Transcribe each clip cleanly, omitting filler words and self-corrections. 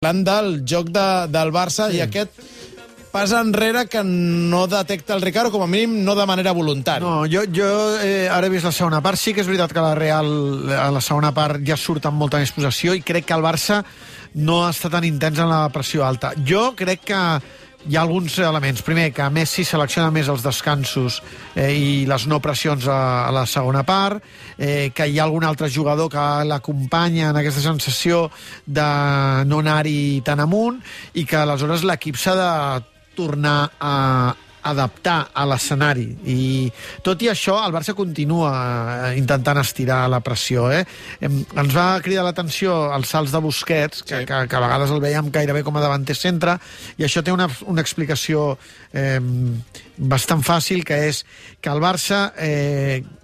Parlant del joc del Barça, sí. I aquest pas enrere que no detecta el Ricard, o com a mínim no de manera voluntària. No, jo ara he vist la segona part. Sí que és veritat que la Real a la segona part ja surt amb molta més possessió i crec que el Barça no està tan intens en la pressió alta. Jo crec que hi ha alguns elements. Primer, que Messi selecciona més els descansos i les no pressions a la segona part, que hi ha algun altre jugador que l'acompanya en aquesta sensació de no anar-hi tan amunt i que aleshores l'equip s'ha de tornar a adaptar a l'escenari. I tot i això, el Barça continua intentant estirar la pressió. Ens va cridar l'atenció els salts de Busquets, que a vegades el veiem gairebé com a davanter centre, i això té una explicació bastant fàcil, que és que el Barça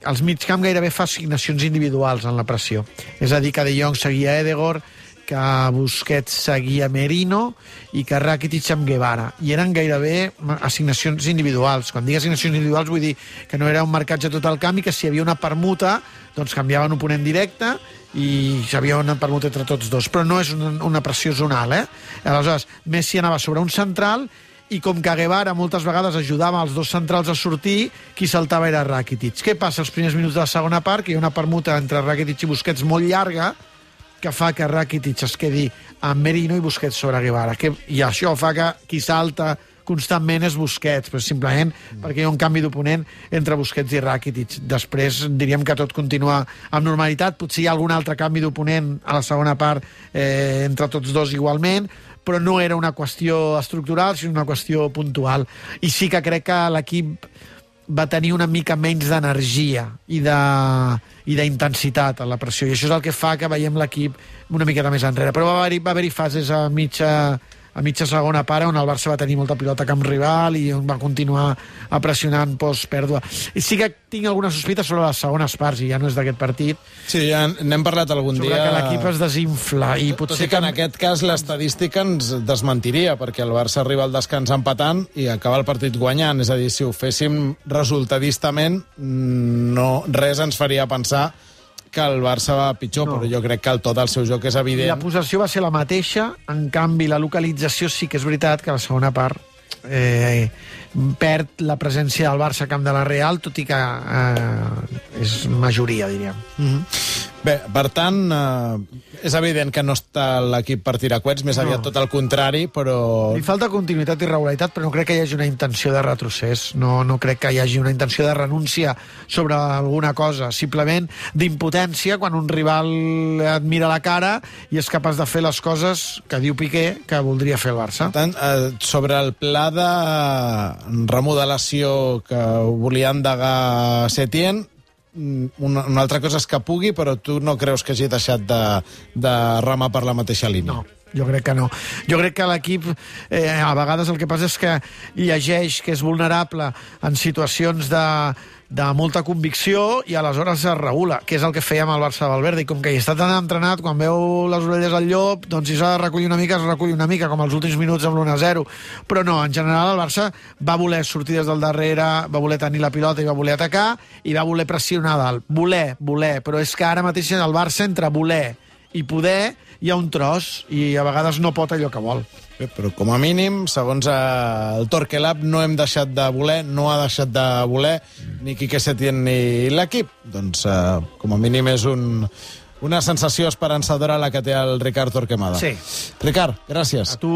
als migcamp gairebé fa assignacions individuals en la pressió. És a dir, que De Jong seguia Ødegaard, que Busquets seguia Merino i que Rakitic amb Guevara. I eren gairebé assignacions individuals. Quan dic assignacions individuals vull dir que no era un marcatge tot el camp i que si hi havia una permuta doncs canviaven oponent directe i hi havia una permuta entre tots dos. Però no és una pressió zonal, Aleshores, Messi anava sobre un central i com que Guevara moltes vegades ajudava els dos centrals a sortir, qui saltava era Rakitic. Què passa als primers minuts de la segona part? Que hi ha una permuta entre Rakitic i Busquets molt llarga que fa que Rakitic es quedi amb Merino i Busquets sobre Guevara. I això fa que qui salta constantment és Busquets, però simplement perquè hi ha un canvi d'oponent entre Busquets i Rakitic. Després diríem que tot continua amb normalitat. Potser hi ha algun altre canvi d'oponent a la segona part entre tots dos igualment, però no era una qüestió estructural, sinó una qüestió puntual. I sí que crec que l'equip va tenir una mica menys d'energia i d'intensitat a la pressió, i això és el que fa que veiem l'equip una miqueta més enrere. Però va haver-hi fases a mitja segona part on el Barça va tenir molta pilota a camp rival i on va continuar pressionant post-pèrdua. I sí que tinc alguna sospita sobre les segones parts, i ja no és d'aquest partit. Sí, ja n'hem parlat algun dia. Sobre que l'equip es desinfla. I potser que en aquest cas l'estadística ens desmentiria, perquè el Barça arriba al descans empatant i acaba el partit guanyant. És a dir, si ho féssim resultadistament, res ens faria pensar que el Barça va pitjor, però jo crec que el to del seu joc és evident. La possessió va ser la mateixa, en canvi la localització sí que és veritat que a la segona part perd la presència del Barça a camp de la Real, tot i que és majoria, diríem. Bé, per tant, és evident que no està l'equip per tirar coets, més aviat tot el contrari, però... Li falta continuïtat i regularitat, però no crec que hi hagi una intenció de retrocés, no crec que hi hagi una intenció de renúncia sobre alguna cosa, simplement d'impotència quan un rival et mira la cara i és capaç de fer les coses que diu Piqué que voldria fer el Barça. Per tant, sobre el pla de remodelació que volia endegar Setién, una altra cosa és que pugui, però tu no creus que hagi deixat de remar per la mateixa línia? No, jo crec que no. Jo crec que l'equip a vegades el que passa és que llegeix que és vulnerable en situacions de molta convicció i aleshores es regula, que és el que feia amb el Barça de Valverde, i com que hi està tan entrenat, quan veu les orelles al llop, doncs si s'ha de recollir una mica, es recull una mica, com els últims minuts amb l'1-0. Però no, en general el Barça va voler sortir des del darrere, va voler tenir la pilota i va voler atacar, i va voler pressionar dalt. Voler, però és que ara mateix el Barça entre voler i poder hi ha un tros, i a vegades no pot allò que vol. Bé, però com a mínim, segons el Torquelab, no hem deixat de voler, no ha deixat de voler ni Quique Setién ni l'equip. Doncs, com a mínim, és una sensació esperançadora la que té el Ricard Torquemada. Sí. Ricard, gràcies. A tu.